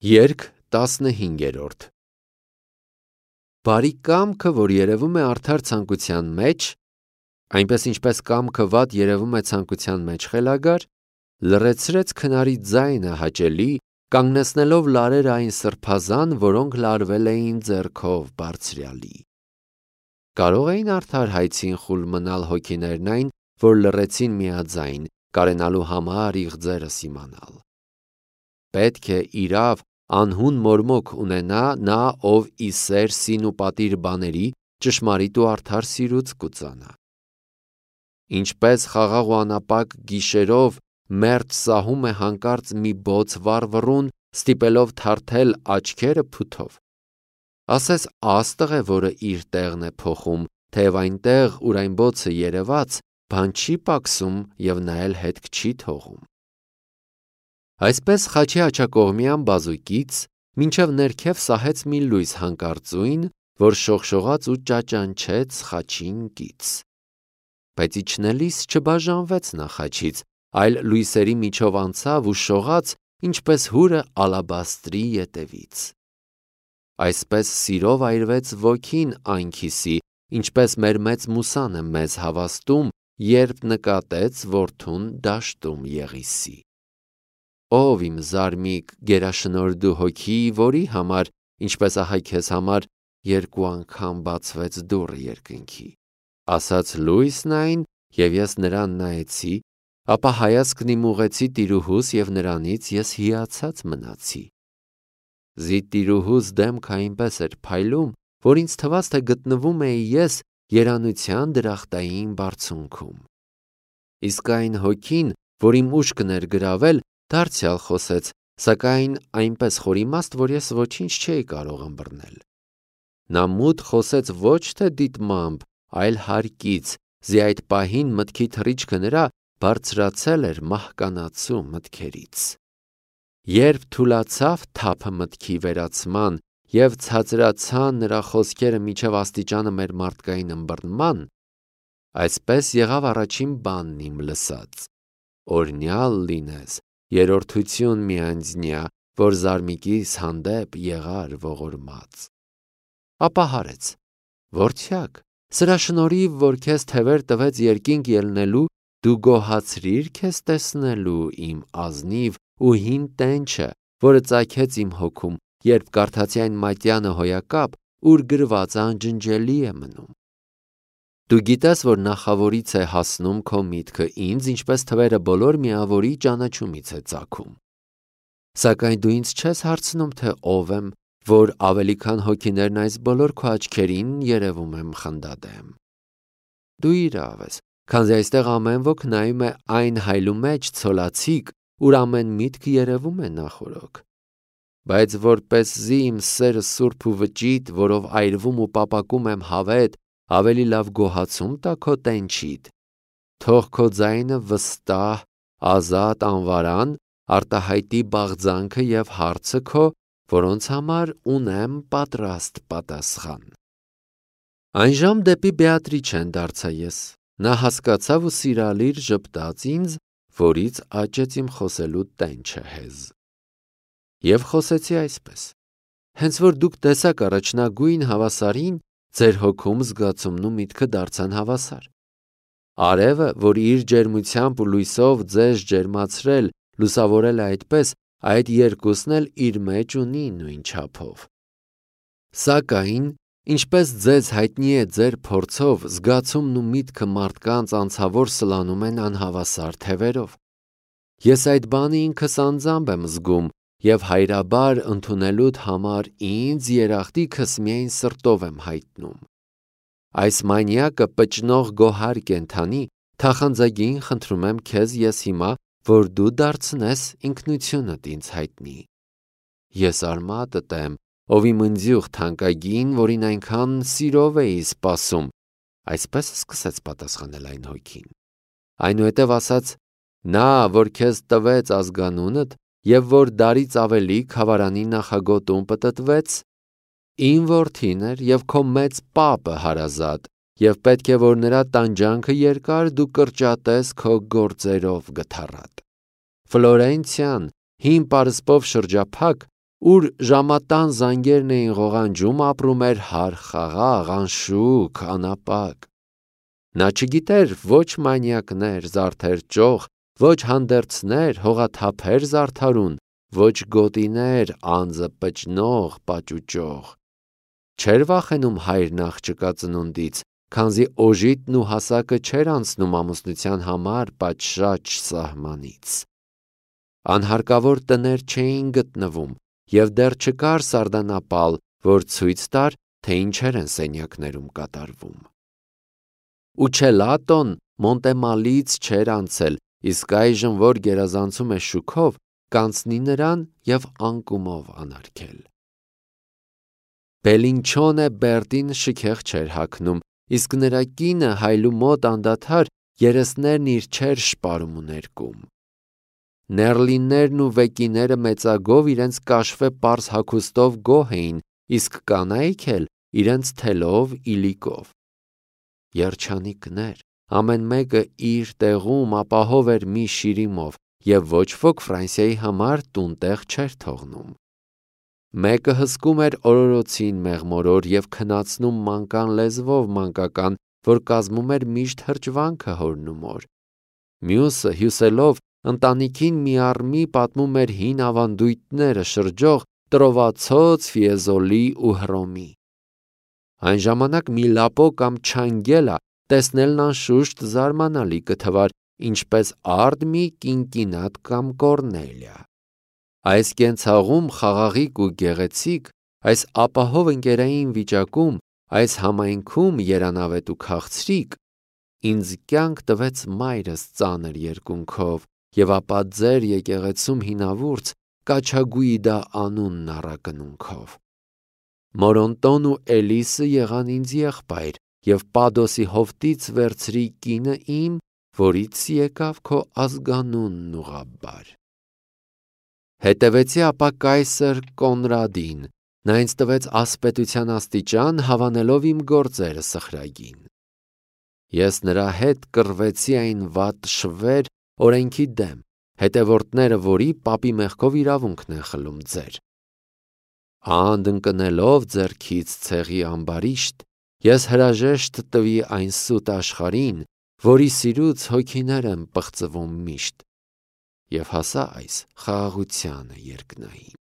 Երգ 15-րդ Բարի կամքը, որ երևում է արդար ցանկության մեջ, այնպես ինչպես կամքը վատ երևում է ցանկության մեջ խելագար, լռեցրեց քնարի ձայնը հաճելի, կանգնեցնելով լարերը այն սրբազան, որոնք լարվել էին ձեռքով բարձրյալի։ Կարող էին արդար հայցին խուլ մնալ հոգիներն այն, որ լռեցին միաձայն, կարենալու համար իղձերը սիմանալ։ Պետք է իրավ անհուն մորմոք ունենա նա, ով ի սեր սին ու պատիր բաների ճշմարիտ ու արդար սիրուց կուծանա։ Ինչպես խաղաղ ու անապակ գիշերով մերթ սահում է հանկարծ մի բոց վառվռուն, ստիպելով թարթել աչքերը փութով։ Ասես աստղ է, որը իր տեղն է փոխում, թեև այնտեղ, ուր այն բոցը երևաց, բան չի պակսում և նայել հետք չի թողում։ Այսպես խաչի աջակողմյան բազուկից մինչև ներքև սահեց մի լույս հանկարծույն, որ շողշողաց ու ճաճանչեց խաչին կից։ Բայց իջնելիս չբաժանվեց նա խաչից, այլ լույսերի միջով անցավ ու շողաց, ինչպես հուրը ալաբաստրի ետևից։ Այսպես սիրով այրվեց ոգին այն քիսի, ինչպես մեր մեծ Մուսան է մեզ հավաստում, երբ նկատեց որդուն դաշտում Եղիսի։ Ով իմ զարմիկ գերաշնորհ հոգի, որի համար, ինչպես ահա քեզ համար, 2 անգամ բացվեց դուռը երկնքի, ասաց լույսն այն, և ես նրան նայեցի, ապա հայացքն իմ ուղղեցի տիրուհուս և նրանից ես հիացած մնացի։ Զի տիրուհուս դեմքը այնպես էր փայլում, որ ինձ թվաց, թե գտնվում էի ես երանության դրախտային բարձունքում։ Իսկ այն հոգին, որ իմ ուշքն էր գրավել, դարձյալ խոսեց, սակայն այնպես խորիմաստ, որ ես ոչինչ չէի կարող ըմբռնել։ Նա մուտ խոսեց ոչ թե դիտմամբ, այլ հարկից, զի այդ պահին մտքի թռիչքը նրա բարձրացել էր մահկանացու մտքերից։ Երբ թուլացավ թափը մտքի վերացման և ցածրացան նրա խոսքերը մինչև աստիճանը մեր մարդկային ըմբռնման, այսպես եղավ առաջին բանն իմ լսած. օրհնյալ լինես, երրորդություն մի անձնյա, որ զարմիկիս հանդեպ եղար ողորմած։ Ապա հարեց. որդյակ, սրա շնորհիվ, որ քեզ թևեր տվեց երկինք ելնելու, դու գոհացրիր քեզ տեսնելու իմ ազնիվ ու հին տենչը, որը ծագեց իմ հոգում, երբ կարդացի այն մատյանը հոյակապ, ուր գրված անջնջելի է մնում։ Դու գիտես, որ նախավորից է հասնում քո միտքը ինձ, ինչպես թվերը բոլոր միավորի ճանաչումից է ծագում։ Սակայն դու ինձ չես հարցնում, թե ով եմ, որ ավելի քան հոգիներն այս բոլոր քո աչքերին երևում եմ խնդադեմ։ Դու իրավ ես, քանզի այստեղ ամեն ոք նայում է այն հայլու մեջ ցոլացիկ, ուր ամեն միտք երևում է նախօրոք։ Բայց որպեսզի իմ սերը սուրբ ու վճիտ, որով այրվում ու պապակում եմ հավետ, ավելի լավ գոհացում տա քո տենչիդ, թող քո ձայնը վստահ, ազատ անվարան, արտահայտի բաղձանքը և հարցը քո, որոնց համար ունեմ պատրաստ պատասխան։ Այնժամ դեպի Բեատրիչեն դարձա ես, նա հասկացավ ու սիրալիր ժպտաց ինձ, որից աճեց իմ խոսելու տենչը հեզ։ Եվ խոսեցի այսպես. հենց որ դուք տեսաք առաջնագույն հավասարին, ձեր հոգում զգացումն ու միտքը դարձան հավասար։ Արևը, որ իր ջերմությամբ ու լույսով ձեզ ջերմացրել, լուսավորել է այդպես, այդ երկուսն էլ իր մեջ ունի նույն չափով։ Սակայն, ինչպես ձեզ հայտնի է ձեր փորձով, զգացումն ու միտքը մարդկանց անցավոր սլանում են անհավասար թևերով։ Ես այդ բանը ինքս անձամբ եմ զգում և հայրաբար ընդունելուդ համար ինձ երախտիքս միայն սրտով եմ հայտնում։ Այս մանյակը պճնող գոհար կենդանի, թախանձագին խնդրում եմ քեզ ես հիմա, որ դու դարձնես ինքնությունդ ինձ հայտնի։ Ես արմատդ եմ, ով իմ ընձյուղ թանկագին, որին այնքան սիրով էի սպասում, այսպես սկսեց պատասխանել այն հոգին։ Այնուհետև ասաց. նա, որ քեզ տվեց ազգանունդ, և որ դարից ավելի քավարանի նախագոտում պտտվեց, իմ որդին էր և քո մեծ պապը հարազատ, և պետք է, որ նրա տանջանքը երկար դու կրճատես քո գործերով գթառատ։ Ֆլորենցիան, հին պարսպով շրջափակ, ուր ժամատան զանգերն էին ղողանջում, ապրում էր հար խաղաղ, անշուք, անապակ։ Նա չգիտեր ոչ մանյակներ, զարդեր ճոխ, ոչ հանդերձներ, հողաթափեր զարդարուն, ոչ գոտիներ, անձը պճնող, պաճուճող։ Չէր վախենում հայրն աղջկա ծնունդից, քանզի օժիտն ու հասակը չէր անցնում ամուսնության համար պատշաճ սահմանից։ Անհարկավոր տներ չէին գտնվում, և դեռ չկար սարդանապալ, որ ցույց տար, թե ինչեր են սենյակներում կատարվում։ Ուչելատոն Մոնտեմալից չէր անցել, իսկ այժմ, որ գերազանցում է շուքով, կանցնի նրան և անկումով անարգել։ Բելինչոնե Բերտին շքեղ չէր հագնում, իսկ նրա կինը հայլու մոտ անդադար երեսներն իր չէր շպարում ու ներկում։ Ներլիններն ու վեկիները մեծագով իրենց կաշվե պարզ հագուստով գոհ էին, իսկ կանայք էլ իրենց թելով, իլիկով։ Երջանիկներ, ամեն մեկը իր տեղում ապահով էր մի շիրիմով, և ոչ ոք Ֆրանսիայի համար տուն տեղ չէր թողնում։ Մեկը հսկում էր օրորոցին մեղմորոր և քնացնում մանկան լեզվով մանկական, որ կազմում էր միշտ հրճվանքը հորն ու մոր։ Մյուսը հյուսելով ընտանիքին մի առ մի պատմում էր հին ավանդույթները շրջող տրովացոց, ֆիեզոլի ու հռոմի։ Այն ժամանակ մի լապո կամ չանգելա տեսնելն անշուշտ զարմանալի կթվար, ինչպես արդ մի կինկինատ կամ կորնելիա։ Այս կենցաղում խաղաղիկ ու գեղեցիկ, այս ապահով ընկերային վիճակում, այս համայնքում երանավետ ու քաղցրիկ, ինձ կյանք տվեց մայրս ծանր երկունքով, և ապա ձեր եկեղեցում հինավուրց Կաչագուիդա անունն առակնունքով։ Մորոնտոն ու Էլիսը եղան ինձ եղբայր, և Պադոսի հովտից վերցրի կինը իմ, որից եկավ քո ազգանունն ուղղաբար։ Հետևեցի ապա կայսր Կոնրադին, նա ինձ տվեց ասպետության աստիճան, հավանելով իմ գործերը սխրագին։ Ես նրա հետ կռվեցի այն վատ շվեր օրենքի դեմ, հետևորդները որի պապի մեղքով իրավունքն են խլում ձեր։ Անդ ընկնելով ձեռքից ցեղի ամբարիշտ, ես հրաժեշտ տվի այն սուտ աշխարհին, որի սիրուց հոգիներ են պղծվում միշտ, և հասա այս խաղաղությանը երկնային։